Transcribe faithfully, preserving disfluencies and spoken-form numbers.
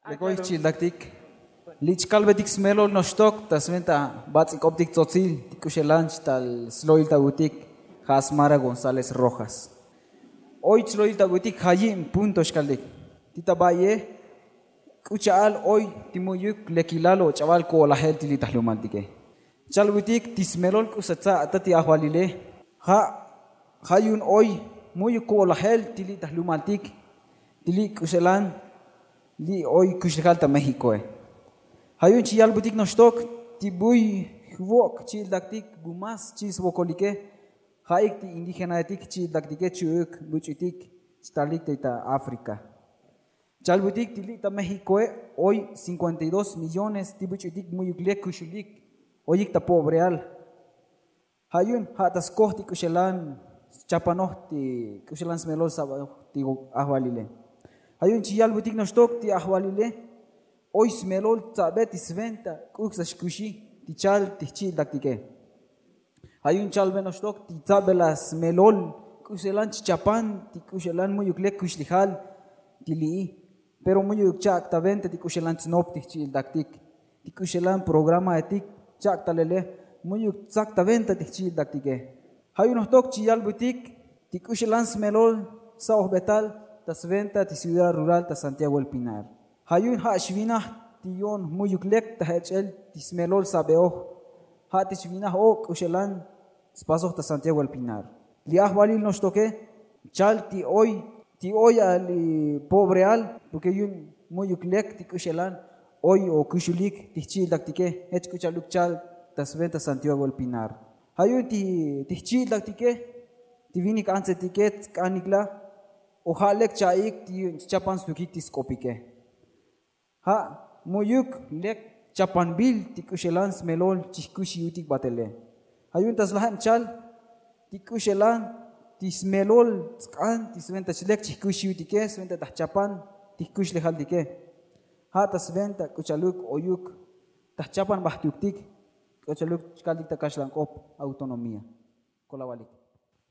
Lek oy chi'iltaktik li' chkalbetik smelol noxtok ta sventa bats'ik'obtik tzotzil ti k'uxelan chtal slo'iltabutik. Ja' smara gonzález rojas. Oy tslo'iltabutik ja' yi'in punto xkaltik. Ti ta ba'ye k'u cha'al oy ti mu'yuk lekilal o ch'abal ko'olajel ti li' ta jlumaltike. Chalbutik ti smelol k'usa tsa' ta ti ajvalile. Ja' ja' yu'un oy mu'yuk ko'olajel ti li' ta jlumaltik ti li' k'uxelan li' oy kuxlejal ta méxikoe. Ja' yu'un chi yalbutik noxtok ti buy jvok' chi'iltaktik bu más chi'il svokolike. Ja'ik ti indígenaetik chi'iltaktike chu'uk buch'utik. Chtaltik ta áfrica chalbutik ti li' ta méxikoe oy cincuenta y dos millones ti buch'utik mu'yuk lek kuxulik oyik ta pobreal. Ja' yu'un ja' ta skoj ti k'uxelan schapanoj ti k'uxelan smelol sab'oj ti ajvalile. Ja' yu'un chi yalbutik noxtok ti ajvalile oy smelol tsa'be ti sventa k'uk sa xkuxi ti chal ti jchi'iltaktike. Ja' yu'un chalbe noxtok ti tsa'belaj smelol k'uxelan chchapan ti k'uxelan mu'yuk lek kuxlejal ti li'i. Pero mu'yuk chak' ta venta ti k'uxelan tsnop ti jchi'iltaktik ti k'uxelan programaetik chak' ta lele mu'yuk tsak ta venta ti jchi'iltaktike. Ja' yu'un jtok chi yalbutik ti k'uxelan smelol sa'ojbetal ta sventa ti ciudad rural ta santiago el pinar. Ja' yu'un ja' xvinaj ti yo'on mu'yuk lek ta jech'el ti smelol sab'eoj. Ja' ti xvinaj o' k'uxelan spasoj ta santiago el pinar. Li' ajvalil noxtoke chal ti oy ti oy a li pobreal porke yu'un mu'yuk lek ti k'uxelan oy o kuxulik ti jchi'iltaktike. Jech k'u chaluk chal ta sventa santiago el pinar. Ja' yu'un ti jchi'iltaktike ti vinik antsetike tsk'anikla o ja' lek cha'ik ti yu'un chchapan stukik ti sk'opike. Ja' mu'yuk lek chapanbil ti k'uxelan smelol chi jkuxiutik batele. Ja' yu'un ta slajeb chal ti k'uxelan ti smelol tsk'an ti sventa chlek chi jkuxiutike sventa ta jchapan ti jkuxlejaltike. Ja' ta sventa k'u chaluk oyuk ta jchapan bajtuktik k'u chaluk chkaltik ta kaxlank'op autonomía. Kolavalik.